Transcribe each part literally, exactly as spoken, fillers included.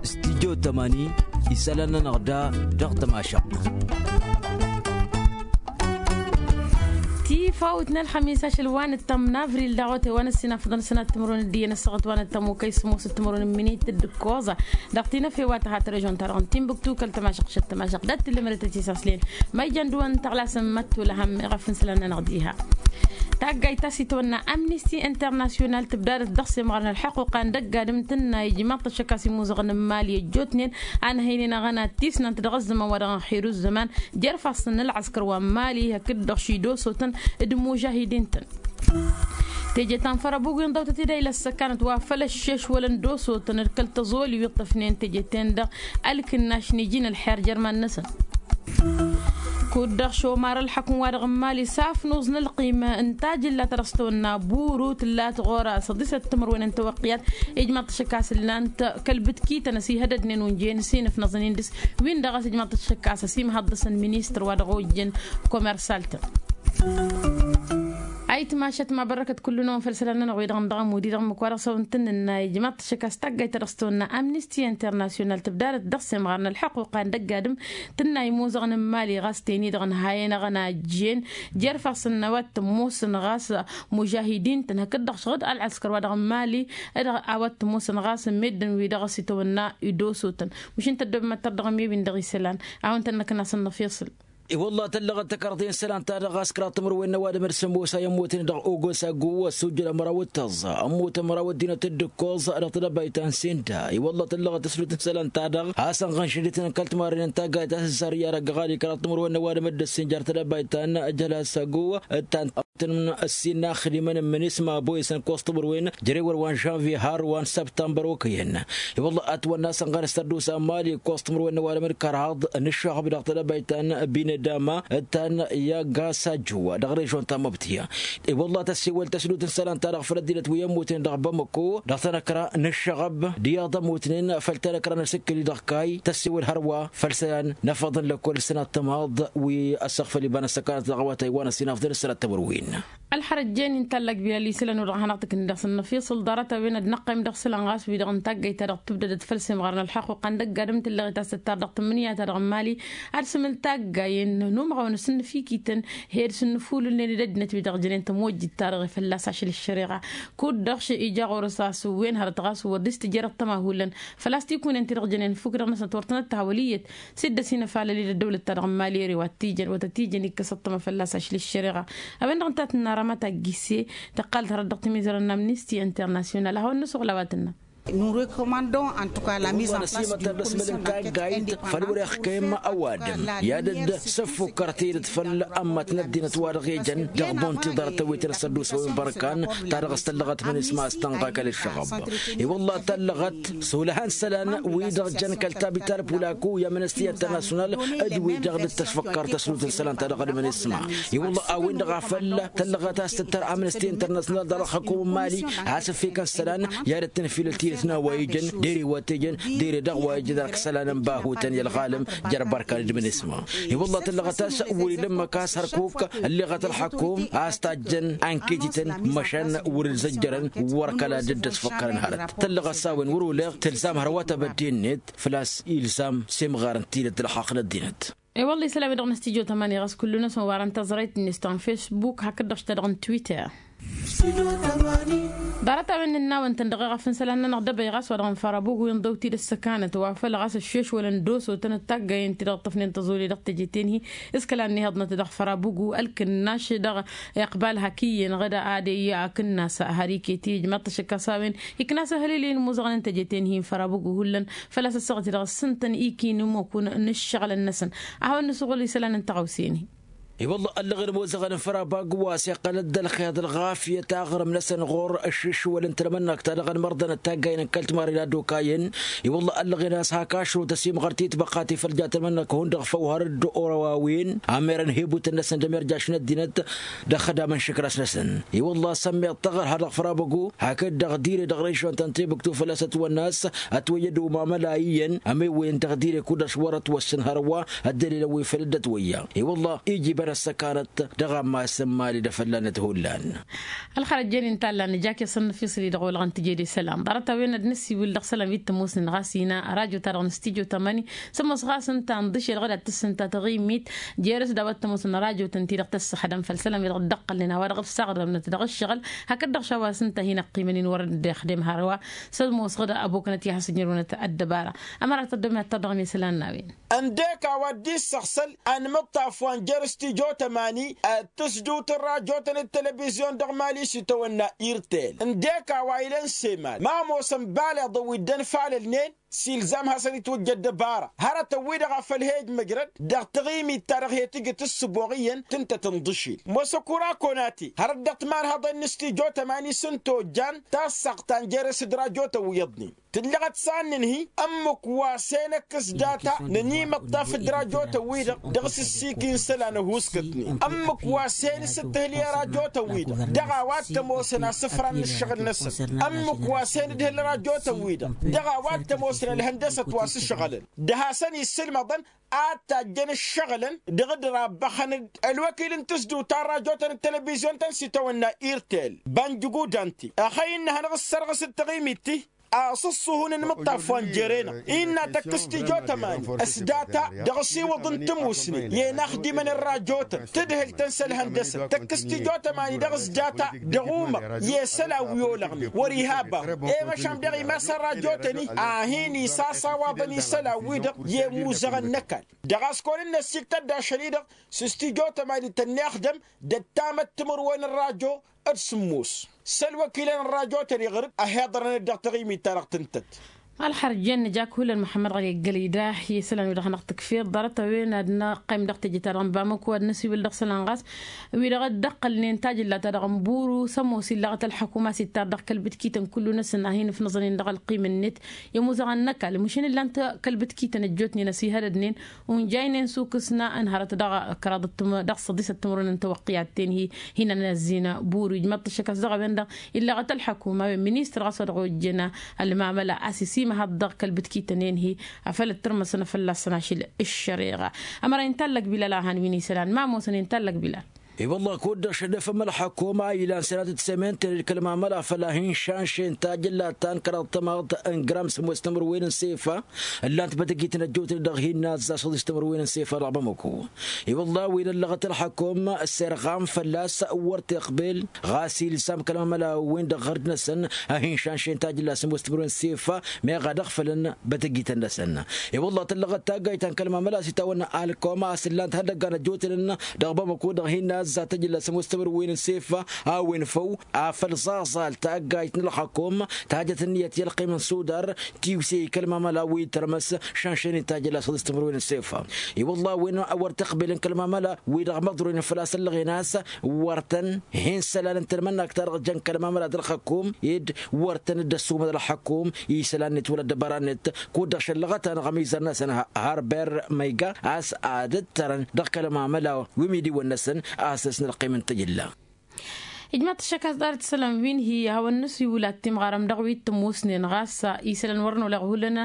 Studyo tămani isălan-nănăɣ da dăɣ-tămašăɣt. Tifawt n-ălxămis ašăl wa nǝttăm n-avril daɣ ote wa n-ăssinafăḍăn sănat timǝrwen d-iyyăn ăssaɣăt wa năttăm okăy sămoos timǝrwen n-minit d-ǝkkoẓa. Dăɣ-tinăfe wa tăhat režon-ta-dăɣ n-timbuktu kăl-tămašăɣt šăt tămašăɣt dat-t-dd-lămărătăt isaslen ma ijan dăɣ-wăn tăɣlasăn măttu lăhăm iɣăf n-sălan-nănăɣ diha. Taggayt ta s-itwănna amnisti internasyonal tǝbdadăt dăɣ-semɣar n-ălḥăqquqa n-dăgg-adǝm tǝnna ijmaḍ-t ăššăk a-s imuzăɣăn n-mali ăjjootnen a n-hăynen aɣăna tisnant dăɣ-ăzzăman wa dăɣ-năxhiru ăzzăman jer-ifassăn n-ălɣăskăr wa n-mali hakd-dăɣ šidosotăn d-imužahidin-tăn. Teje ta n-fărăbug wi n-dăwtăt-dd a ila ăssăkanăt wa făl ăššešwălăn d-osotăn d-kăl-tăẓoli wi ǝṭṭăfnen teje-ten-dăɣ ălkǝnnaš n-iji n-ălḥer jer-iman-năsăn. Kud-dăɣ šomar ălḥăkm-wa-dăɣ n-mali s-afnuẓ n-ălqim n-tajǝlla ta dăɣ-s tăwănna buru tǝllat ɣur-a săḍisăt timǝrwen n-tawăqqiyat ijmaḍ-t ašăk a-s ǝllan-t kăl-bǝtkităn ăsihădădnen unjăyăn s-inǝfnăẓăn-in dăɣ-s win-dăɣ a-s ijmaḍ-t ašăk a-s ăsimhăḍ dăɣ-săn ministăr wa dăɣ-ojjăn komersal-tăn. Ayǝtmašăt ma bărrăkăt kullu-năwăn făll-isălan-nănăɣ wi-dăɣ n-dăɣ-ămud-i dăɣ-imǝk wa dăɣ-s a-wen tǝnnǝnna ijmaḍ-t ašăk a-s taggayt ta dăɣ-s tăwănna amnisti internasyonal tǝbdadăt dăɣ-semɣar n-ălḥăqquqa n-dăgg-adǝm tǝnna imuzăɣăn n-mali ɣas teni-dăɣ ǝnhayăn aɣăna ăjjeen jer-ifassăn n-a-wa t-ămoosăn ɣas mužahidin-tăn hakd-dăɣ šăɣǝd ălɣăskăr wa dăɣ-mali. Dăɣ-a-wa t-ămoosăn ɣas meddǝn wi dăɣ-s itwănna idosotăn. Măšin tăddobem ad-tărdăɣăm i-win-dăɣ isălan a hawăn-tăn-năknasăn n-afiṣǝl. I-wălla tăllăɣăt tăkarḍe n-isălan-ta-dăɣ ɣas kăraḍ timǝrwen n-ăwadǝm d-sămoos a i-ămmootnen dăɣ-ogo s-aggu ăssujjăl ămraw d-tăẓẓa ămmutăn ămraw ăddinăt d-ǝkkoẓ dăɣ-tedăbayt ta n-senda. I-wălla tăllăɣăt tăslut n-isălan-ta-dăɣ a-s ănɣănšăn d-itnăn kăl-timarren n-taggayt a-s ǝzzar i-ad-ăgg ɣali kăraḍ timǝrwen n-ăwadǝm d-ǝssin jer-tedăbayt ta n-jăla s-aggu d-ta n-tăn-ăssin n-axdimăn n-minisma boyăsăn kostumărwen jere wăr wa n-žanvye har wa n-săptămbăr okăyăn. I-wălla ătwănna a-s ănɣăr s-tăddusa n-mali kostumărwen n-ăwadǝm d-kăraḍ n-ǝššăɣăb dăɣ-tedăbayt ta n-binedama d-ta n-yaga s-ajju dăɣ-režon ta n-măbtǝya. I-wălla tăssewăl tăslut n-isălan-ta-dăɣ făll-ăddinăt wi ămmutnen dăɣ-bamăko dăɣ-tanăkra n-ǝššăɣăb d-iyyăḍ ămmutnen făll-tanăkra n-asǝkkǝl-i dăɣ-kayy tăssewăl hărwa făll-isălan n-afăḍăn lăkkol s-sănatămaḍ wi ăssăɣfăl iba n-ăssăkanăt dăɣ-awătay wa n-ăsinafḍăn s-sănatămărwen. Ălxărăt jen-in tallak bilal isălan wa dăɣ-hanăɣ-tǝknǝn dăɣ-săn năfiṣǝl ḍarăt-a-wen ad-năqqăym dăɣ-isălan ɣas wi-dăɣ n-taggayt-ta-dăɣ tǝbdădăt făll-semɣar n-ălxaqq uqan dăgg-adǝm tǝllăɣet a-s tǝttar dăɣ-tǝmmǝnǝya-ta-dăɣ n-mali ad-sǝmǝl taggayen n-umɣăwăn s-ǝnnǝfikităn hed s-ǝnnǝfulǝlnen d-ăddinăt wi-dăɣ jănen tămojjit-ta-dăɣ ifălla-s ašăl ăššăreɣa. Kud-dăɣ ija ɣur-s a-s wen hărăt ɣas wăr dăr-s tǝjjărăt tămahullăn făl-a-s tikunen-ti-dăɣ jănen fuk-dăɣ-năsnăt wăr tănăt-tahwăl iyyăt s-dd-ăsinăfalăl-dd ăddăwlăt-ta-dăɣ n-mali ere wa t-ijăn wa tăt-ijăn ikkăs ăṭṭăma fălla-s ašli ăššăreɣa. A-wen-dăɣ ǝnta a tǝnna rămăt a gisse tăqqal tărăt dăɣ-timiẓrăn n-amnisti internasyonal ad-hawăn-nǝsuɣǝl a-wa tǝnna. Năsimătăr d-asmăl n-taggayt făll-wăr-iɣkăyăm ăwadǝm i-ad-dd-săffukkăr tidǝt făll-ămmăt n-ăddinăt wa dăɣ-ijăn dăɣ-buntiḍarăt ăwwităn s-ăddusa wi-bărkan ta dăɣ-s tăllăɣăt minisma a-s tănɣa kăl-ǝššăɣăb. I-wălla tăllăɣăt s-olăha n-isălan wi-dăɣ jăn kăl-tabital pulaku i-amnăsti internasyonal d-wi-dăɣ dd-tăšfăkkăr tăslut n-isălan ta dăɣ-ălminisma. I-wălla a-wen-dăɣ a făl tăllăɣăt a-s tăttăr amnăsti internasyonal dăɣ-ălxăkum n-mali a-s ǝffikăn isălan i-ad-ăttǝnfilăl tidǝt n-a-wa ijăn d-ere wa t-ijăn d-ere dăɣ-wa ijăn ărk isălan n-bahutăn i-ălɣalăm jer-bărkan d-minisma. I-wălla tăllăɣăt a-s wăr-ila ǝmmǝk a-s hărkuk ălleɣăt ălxăkum a-s tajjăn ankitităn măšan wăr-ǝlzăjjărăn wăr kăla dd-ăsfăkkărăn hărăt tăllăɣăt s-a-wen wăr-oleɣ tǝlzam hărwa tebădde-net. Făl-a-s ilzam s-imɣar n-tidǝt d-ălxaqq n-ăddinăt. E-wălla isălan wi-dăɣ n-ăstijo tămani ɣas kullu-năsăn wa răn tăẓrayt-net ta n-facebook hakd-dăɣ s-ta-dăɣ n-twitter. Ḍarăt-a-wen nǝnnawăn-tăn dăɣ-eɣăf n-isălan-nănăɣ d-abăy ɣas wa dăɣ-nǝfăr abugu inḍăw-t-dd ăssăkanăt wa făl ɣas ăššešwălăn d-osotăn d-taggayen-ti-dăɣ ǝṭṭăfnen tăẓoli dăɣ-teje-ten-hi. S-kăla ănnihăḍnăt dăɣ-făr abugu ălkǝnnaš dăɣ-iqbal hakiyyen ɣǝd ad-ey akǝnnas har iket-i ijmaḍ-t ašǝkkas a-wen iknas ăhălil i-inmuzăɣăn n-teje-ten-hi n-făr abugu hullan. Făl-a-s ăssaɣăt-i-dăɣ ǝssǝntăn iki n-imokun n-ǝššăɣǝlăn-năsăn. A hawăn-nǝsuɣǝl isălan n-tăɣawse-ni. I-wălla ăllăɣen imozăɣăn n-făr abagu wa s-iqqălăt d-ălxeḍ ălɣafyăt aɣrǝm-năsăn ɣur-ǝššǝšwăl n-tălmănnakt ta dăɣ-ănmărḍănăt taggayen n-kăl-timarren ad-okayăn. I-wălla ăllăɣen a-s hak ašrut ăsimɣăr titbăqqa ti făl ja tălmănnăk hundăɣ făw hărăt d-orăw a-wen amerăn hebutăn-năsăn d-emerjaš n-ăddinăt d-ăxxădam n-išǝkras-năsăn. I-wălla s-ămmiḍ taɣăr ha dăɣ-făr abăgu hakd dăɣ-dire dăɣ-režion ta n-tebuktu făl-a-s ătwănna a-s ătwăyya d-umamăla iyyăn ămewăyăn dăɣ-dire kud-dăɣ-s wăr-ătwăssăn hărwa. Ăddălil ăwwey făll-dd ătwăyya i-wălla iji. Ăssăkanăt dăɣ-ammas n-imali d-afălla n-ad-hullan. Ălxărăt jen-i n-tallan nǝja kăy-săn nǝfisǝl-i dăɣ-olăɣăn tǝjed isălan ḍarăt-a-wen ad-nǝssiwǝl dăɣ-isălan wi t-ămoosnen ɣas ina rajo-ta-dăɣ n-stijo tămani. S-ămoos ɣas ǝnta ǝnḍǝšel ɣǝd ad-tǝssǝnta taɣimit jer-s d-a-wa t-ămoosăn rajo-tăn-ti-dăɣ tăssăxdăm făll-isălan-wi-dăɣ dd-ăqqălnen a-wa dăɣ-dd-saɣdămnăt dăɣ-ǝššăɣǝl. Hakd-dăɣ šawa s-ǝnta a hin-ăqqimăn-in wăr dd-ixdem hărwa s-ămoos ɣǝd ăboknăt i-ad-hasǝjnărǝwnăt ăddăbara. Ămărat ăddoomiyăt ta dăɣ-mesălan n-a-wen. Ǝndek a-wa dd-issăɣsăl anmǝṭṭaf wa n-jer-s tijo tămani d-tǝsdǝwt n-rajotăn d-telebizyon dăɣ-mali s-itawănna irtel ǝndek a-wa ilăn s-emal ma ămoosăn baleḍăn wi dd-ănfalălnen. S-ilzam hasăn-itwǝjja ăddăbara hărătăn-wi-dăɣ a făl he-ijmăjrăd dăɣ-taɣimit-ta-dăɣ he-tǝjǝt ǝssǝboɣ iyyăn tǝntăt ǝnḍǝšil. Mosăkura konate hărăt dăɣ-timanhăḍen n-stijo tămani s-ǝnta ojjan tassăɣt ta n-jer-s d-rajotăn wi ăḍnen. Tǝllăɣăt s-ad-nǝnhǝy ǝmmǝk wa s-enăkk s-data n-ănimăṭṭaf d-rajotăn-wi-dăɣ dăɣ-s ǝssikǝy n-isălan ăhuuskătnen ǝmmǝk wa s-en-isǝttǝhǝl i-rajotăn-wi-dăɣ dăɣ-a-wa t-ămoosăn asǝfran n-ǝššăɣǝl-năsăn. Ǝmmǝk wa s-en-idhǝl rajotăn-wi-dăɣ dăɣ-a-wa t-ămoosăn ălhăndăsăt wa s-ǝššăɣǝlăn d-hasăn-issǝlmăḍăn ad-tajjăn ǝššăɣǝlăn dăɣ-dd-rabbăxăn-dd ălwăkil n-tǝsdǝwt ta n-rajotăn d-telebizyon-tăn s-itawănna irtel. Bănjǝgudanti ăxăy ǝnnăhănăɣ ǝssărɣǝs d-taɣimit-ti asǝṣṣuhu n-inmǝṭṭaf wa n-jer-enăɣ innă tăkk s-tijo tămani s-data dăɣ-asiwǝḍ n-tămusne i-inaxdimăn n-rajotăn tǝdhǝl-tăn s-ălhăndăsăt tăkk s-tijo tămani dăɣ-s data dăɣ-umăɣ i-isălan wi olăɣnen wăr-iha abahu. I-măšan daɣ imass n-rajotăn-i a hin-isasawaḍăn isălan-wi-dăɣ i-imuzăɣăn n-ăkall. Dăɣ-a-s kăwăn-dd-năssiktăt d-ašăl-i-dăɣ s-tijo tămani tănnixdăm d-ăttamăt timǝrwen n-rajo d-sǝmmos s-ălwăkilăn n-rajotăn iɣrǝd ăhiḍărăn-dd dăɣ-taɣimit-ta-dăɣ tǝntăt. Ălxărăt jen nǝja kăwăn-hullan muḥămmăd ɣăli ăggălăy da i-isălan-wi-dăɣ hanăɣ-tǝkfeḍ ḍarăt-a-wen ad-năqqăym dăɣ-teje-ta-dăɣ n-bamăko ad-năsiwǝl dăɣ-isălan ɣas wi-dăɣ dd-ăqqălnen tajǝlla-ta-dăɣ n-buru s-ămoos illăɣăt ălxăkum a-s ittar dăɣ-kăl-bǝtkităn kullu-năsăn a hin-ǝfnăẓăn-in dăɣ-ălqim-net. I-ămuzăɣăn n-ăkall măšin ǝllan-t kăl-bǝtkităn ăjjootnen ăsihădădnen unjaynen s-ukǝsna ǝnhărăt dăɣ-kăraḍăt dăɣ-săḍisăt timǝrwen n-tawăqqǝyat-ten-hi. Hin-ănăzzin buru ijmăḍ-t ăššăk a-s dăɣ-a-wen-dăɣ illăɣăt ălxăkum a-wen ministăr ɣas wa dăɣ-ojjăn ălmamăla a-s isimăhăḍ dăɣ-kăl-bǝtkităn-en-hi. Afăl ǝttărmăsăn fălla-săn ašăl ǝššăreɣa. Ămăra inta ăllăk bilal a han wi n-isălan ma ămoosăn inta ăllăk bilal. I-wălla kud-dăɣ šădefăm ălxăkum a ilan sănatăt sementerid kăl-mamăla făl a hin-šanšen tajǝlla ta n-kăraḍ tămaḍt n-gram sămoos timǝrwen n-sefa. Ǝllan-t bătăgităn ăjjootnen dăɣ-hin-nazza s-aḍis timǝrwen n-sefa dăɣ-bamăko. I-wălla a-wen ăllăɣăt ălxăkum s-irɣam fălla-s wăr t-iqbel ɣas ilzam kăl-mamăla-wen-dăɣ ɣărd-năsăn a hin-šanšen tajǝlla sămoos timǝrwen n-sefa. Meɣ ad-ăɣfălăn bătăgităn-năsăn. I-wălla tăllăɣăt taggayt ta n-kăl-mamăla a-s itawănna alkoma a-s ǝllan-t hăndăgga n-ăjjootnen dăɣ-bamăko dăɣ-hin-nazza tajǝlla sămoos timǝrwen n-sefa. A-wen făw afăl ẓaẓal taggayt n-ălxăkum tajăt ǝnniyăt i-ălqim n-sudar tiwse i-kăl-mamăla wi tărmăs šanšănen tajǝlla săḍis timǝrwen n-sefa. I-wălla a-wen wăr t-iqbelăn kăl-mamăla wi-dăɣ măḍroynen făl-a-s ăllăɣen a-s wăr tăn-hin-sălan n-tălmănnak-ta-dăɣ jăn kăl-mamăla d-ălxăkum ed wăr tăn-dd-ăssumăd ălxăkum isălan-net wăla ăddăbara-net. Kud-dăɣ šăllăɣăt-anăɣ ămizăr-năsăn harber măyga a-s ad-ǝttărăn dăɣ-kăl-mamăla wi imidiwăn-năsăn a-s ăsnălqim n-tijǝlla. Ijmaḍ-t ăššăk a-s ḍarăt isălan wi n-hi-hawăn-năsiwǝl ad-timɣarăm dăɣ-wi t-ămoosnen ɣas isălan wăr n-oleɣ hullan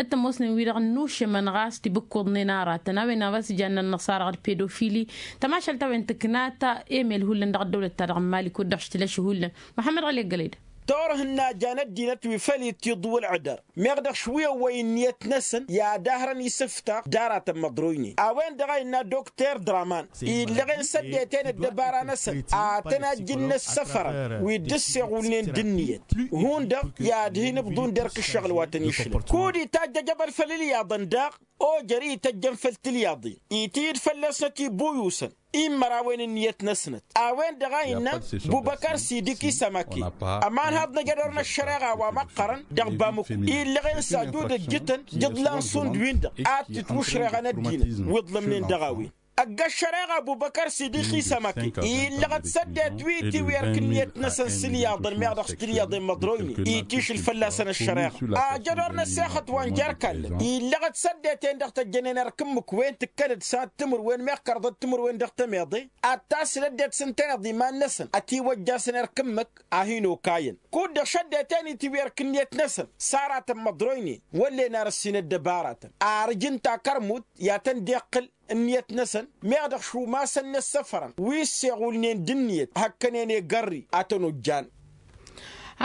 t-ămoosnen wi-dăɣ ănnušămăn ɣas tibǝkkuḍnen aratăn a-wen a-wa s-ijanna ănnăṣarăɣ d-pedofili. Tămašalt a-wen tǝkna ta emel hullan dăɣ-ăddăwlăt-ta-dăɣ n-mali kud-dăɣ š-tilăš hullan. Muḥămmăd ɣăli ăggălăy-dăɣ. Turhǝnna jan ăddinăt wi făl itiḍǝw ǝlɣǝdăr meɣ dăɣ-š wi ăwwăy ǝnniyăt-năsăn i-ad-ahrăn isǝftaɣ d-aratăn măḍroynen. A-wen-dăɣ a innă dokter draman illăɣen s-ăddinăt-en ăddăbara-năsăn ad-tăn-ajjǝnnăt săfărăn wi dd-ǝsseɣulnen d-ǝnniyăt. Hundăɣ i-ad-hin-ǝbḍun d-erk ǝššăɣǝl wa tăn-išlăn kud-itajj ajăḍăl făll-ǝlyaḍăn daɣ. Ojăr-i ităjjăn făll-tilyaḍen itǝyyǝd fălla-snăt ibuyusăn immărawen ǝnniyăt-năsnăt. A-wen-dăɣ a innă bubăkar sidik isamake ămanhăḍ n-ajădor n-ăššăreɣa wa măqqărăn dăɣ-bamuk illăɣen s-ajud ăjjǝtăn d-iḍlan šund-win-dăɣ ad-t-ǝtwǝšreɣăn ăddinăt wi ǝḍlămnen dăɣ-a-wen. Ăgg-ăššăreɣa bubăkar sidik isamake illăɣăt s-ăddinăt wi itiwǝy erk ǝnniyăt-năsăn s-ilyaḍăn meɣ dăɣ-s tilyaḍen măḍroynen itišǝl fălla-săn ăššăreɣa. Ajădor n-ăssexăt wa n-jer-kallăn illăɣăt s-ăddinăt-en-dăɣ tăjjănen erk ǝmmǝk wen tǝkkănăd s-ad-timǝrwen meɣ kărḍăt timǝrwen dăɣ-tămeḍe ad-tasǝl ăddinăt s-ǝntăneḍ iman-năsăn ătiwăjjasăn erk ǝmmǝk. A hin-okayăn kud-dăɣ šăddeten itiwǝy erk ǝnniyăt-năsăn s-aratăn măḍroynen wăllen ar ǝssin ăddăbaratăn ar ǝjǝn takărmut i-ad-tăn-dd-iqqǝl. ǝnniyăt-năsăn meɣ dăɣ-šumasăn n-ăssăfărăn wi ǝsseɣulnen d-ǝnniyăt hăkkănen i-gărri ad-tăn-ojjan.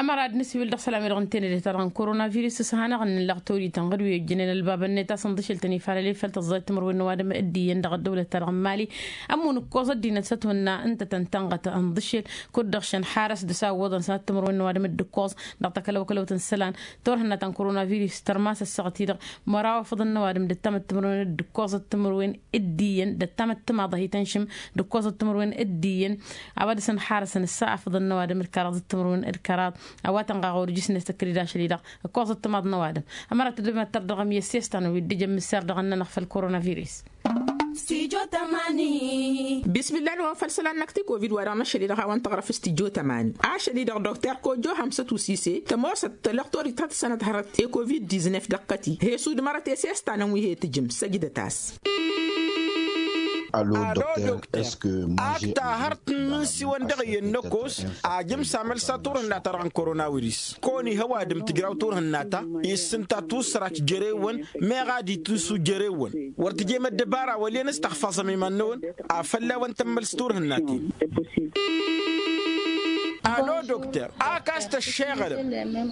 Ămăra d-nǝsiwǝl dăɣ-isălan-wi-dăɣ n-tenăde-ta-dăɣ n-korona virus s-hanăɣ-ǝnnǝlăɣ todităn ɣǝd wi ojjănen ălbabăn-net a-s ǝnḍǝšel tăn-ifalăl i-făl tăẓẓayăt timǝrwen n-ăwadǝm dd-iyyăn dăɣ-ăddăwlăt-ta-dăɣ n-mali. Ămmun ǝkkoẓ ăddinăt s-ătwănna ǝnta tăn-tănɣăt ănḍǝšel kud-dăɣ šăn ḥarăs dăr-s a ǝwwăḍăn sănăt timǝrwen n-ăwadǝm dd-ǝkkoẓ. Dăɣ-takălăwkălăwt n-isălan turhǝnna ta n-korona virus tărma s-ăssaɣăt-i-dăɣ măraw afăḍăn n-ăwadǝm d-ăttamăt timǝrwen dd-ǝkkoẓăt timǝrwen dd-iyyăn d-ăttamăt timaḍăhi tănšǝm d-ǝkkoẓăt timǝrwen dd-iyyăn. A-wa dăr-săn ḥarăsăn ǝssa afăḍăn n-ăwadǝm d-kăraḍ d-timǝrwen d-kăraḍ. A-wa tăn-ɣaɣ orjǝsnet ăkkăd-dd ašăl-i-dăɣ ǝkkoẓăt timaḍ n-ăwadǝm. Ămăra tădămăttăr dăɣ-emǝyyăs i-s ta n-wi dd-ijăn mǝsser dăɣ-ănnănăɣ făll-korona virus. Stujo tămani. Bismillah n-wa făll-isălan n-akti covid-wa-dăɣ n-ašăl-i-dăɣ a-wa n-tăɣrăf stujo tămani ašăl-i-dăɣ dokter kojo hamsăt usise tămoosăt tălăɣ torit hat-sănăt hărăt i-covid-diznef dăɣ-kăti he-sud mărăt i-s i-s ta n-wi he-tǝjǝm săjdăt-as. Alo dokter. Ak ta hărăt n-insiwăn dăɣ-iyyăn n-ăkos ajǝm s-amălsa turhǝnna-ta-dăɣ n-korona wiris kăwăn-ih ăwadǝm tǝjraw turhǝnna-ta issǝnta tusra tǝjăr-ewăn meɣ ad-itǝsu jăr-ewăn. Wăr tǝjem ăddăbara wăl' iyyăn s-tăxfăẓăm iman-năwăn a fălla-wăn tămmăls turhǝnna-ten. Alo dokter ak a-s tăššeɣălăm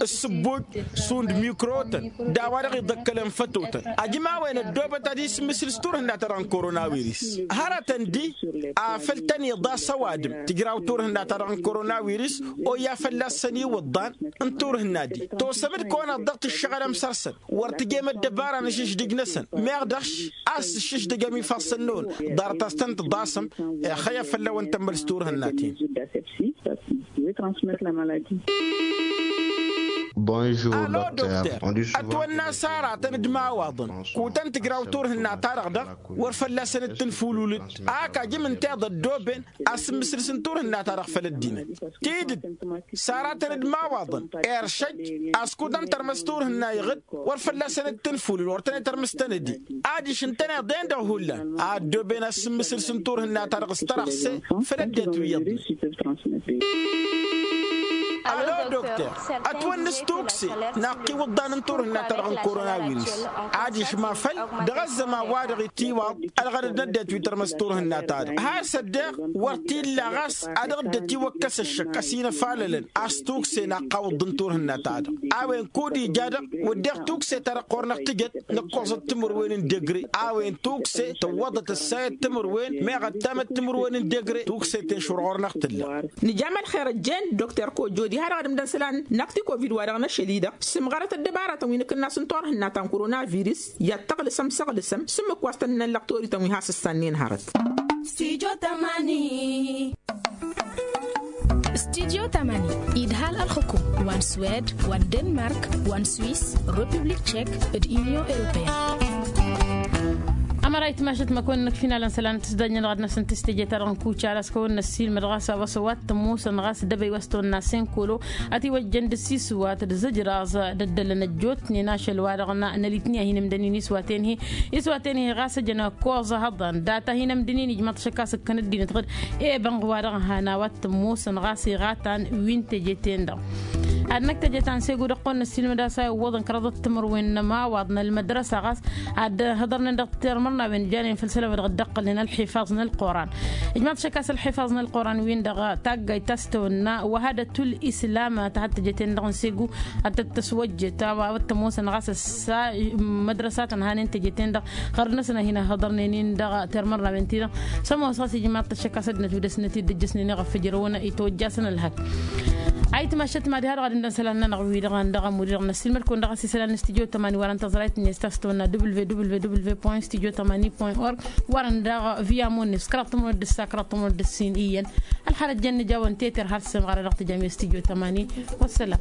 ǝssǝbbuj šund mikro-tăn d-a-wa-dăɣ iḍăkkălăn fătotăn ajǝm a-wen ăddoobăt ad-isǝmmǝsǝl s-turhǝnna-ta-dăɣ n-korona wiris. Hărătăn-di a făl tăn-iḍas ăwadǝm tǝjraw turhǝnna-ta-dăɣ n-korona wiris. Oyya fălla-săn iwǝḍḍan n-turhǝnna-di tosăm-dd kăwăn-ăḍḍăɣ tǝššăɣălăm săr-săn wăr tǝjem ăddăbara n-ašǝšdǝj-năsăn meɣ dăɣ-s a-s tǝššǝšdǝjăm ifassăn-năwăn ḍarăt a-s tăn-tǝḍasăm. Ixăyăf fălla-wăn tămmăl s-turhǝnna-ten. Alo dokter ătwănna s-aratăn d-imawaḍăn kutăn tǝjraw turhǝnna-ta-dăɣ-dăɣ wăr fălla-săn dd-tǝnfulul-dd ak ajǝm ǝnta iḍa ăddooben asǝmmǝsǝl s-turhǝnna-ta-dăɣ făll-ăddinăt tidǝt s-aratăn d-imawaḍăn iršăj a-s kutăn tărmăs turhǝnna iɣǝd wăr fălla-săn dd-tǝnfulǝl wăr tăn-e-tărmǝs tănăde. Adiš ǝntăneḍ-en-dăɣ hullan a ăddooben asǝmmǝsǝl s-turhǝnna-ta-dăɣ s-tărăɣse făll-ăddinăt wi iyyăḍnen. Alo dokter ătwănnăs tukse naqqi iwǝḍḍan n-turhǝnna-ta-dăɣ n-korona wiris. Adiš ma făl dăɣ-ăzzăman wa dăɣ-itiwaḍ ălɣădăd n-ăddinăt wi tărmăs turhǝnna-ta-dăɣ has-ăddeɣ wăr t-illa ɣas ad-dăɣ-dd-ătiwăkkăs ăššăk ăsinăfalălăn a-s tukse naqqawǝḍ n-turhǝnna-ta-dăɣ. A-wen kud ija-dăɣ wădden tukse-ta-dăɣ ɣur-năɣ tǝjăt nǝkkoẓăt timǝrwen n-degre. A-wen tukse tǝwwăḍăt ǝssayăt timǝrwen meɣ ăttamăt timǝrwen n-degre tukse-ten šur ɣur-năɣ tǝlla. Nǝjam ălxer ăjjeen dokter kojo diha-dăɣ ad-ǝmdăn isălan n-akti covid-wa-dăɣ n-ašăl-i-dăɣ sǝmɣărăt ăddăbaratăn wi n-akǝnnas n-turhǝnna ta n-korona virus i-ad-tăɣlǝsăm săɣlǝsăm s-ǝmmǝk wa s-tăn-năllăɣ torităn wi has-ǝssannen hărăt. Studio tămani. Studio tămani idhal ălxǝkum wa n-swed wa n-denmark wa n-swiss, republik tšek d-union europeen. Ămăra itmašăt măkwen n-akfinalăn isălan n-tǝsdajnăn dăɣ-ad-năsăn tǝsteje-ta-dăɣ n-kucal a-s kăwăn-năssiilmăd ɣas a-wa s-ăwaḍ tămoosăn ɣas dăbăy wa s-tăwănna senkolo ătiwăjjăn d-siswat d-zǝjraẓ d-ăddălăn ăjjootnen ašăl-wa-dăɣ n-alitni a hin-ǝmdănin iswaten-hi. Iswaten-hi ɣas ăjăn ăkkoẓ ahăḍan data hin-ămdănin ijmăḍ šăkk a-s ǝkkăn ăddinăt ɣǝd ebănɣ wa-dăɣ n-hana wa t-ămmoosăn ɣas iɣatan wi n-teje-ten-dăɣ. Ad-năkk teje ta n-segu dăɣ-kăwăn-năssiilmăd a-s a iwwăḍăn kăraḍăt timǝrwen n-ămawaḍ n-ălmădrăsa ɣas ad-hăḍărnen dăɣ-termărnawen janen făll-isălan wa dăɣ-dd-ăqqălnen ălḥifaẓ n-ălquran. Ijmaḍ šăkk a-s ălḥifaẓ n-ălquran-win-dăɣ taggayt ta s-tăwănna wăhadătul islam ta had-teje-ten-dăɣ n-segu ad-tăt-tăswăjjăt a-wa t-ămoosăn ɣas ăssa mădrăsatăn hanen teje-ten-dăɣ. Ɣărd-năsăn a hin-ăhhăḍărnen-in dăɣ-termărnawen-ti-dăɣ s-ămoos ɣas ijmaḍ-t ăššăk a-s ăddinăt wi dăr-snăt dd-ǝjjăsnen i-ɣăf ǝjrăwăn itwăjjasăn ălhăk. Ayǝtmašăt ma diha-dăɣ ad-ǝndăn isălan-nănăɣ wi-dăɣ a ǝndăɣ ămud-i-dăɣ năssiilmăd-kăwăn dăɣ-s isălan n-studio tămani wărăn tăẓrayt-net ta s-tăwănna www point studio tămani point org. Wărăn daɣ via mones kăraḍ timǝrwen d-ǝssa kăraḍ timǝrwen d-ǝssin iyyăn. Ălxarăt jăn nǝja a-wen teter har s-semɣăra dăɣ-tǝjam i-studio tămani. Wăssălam.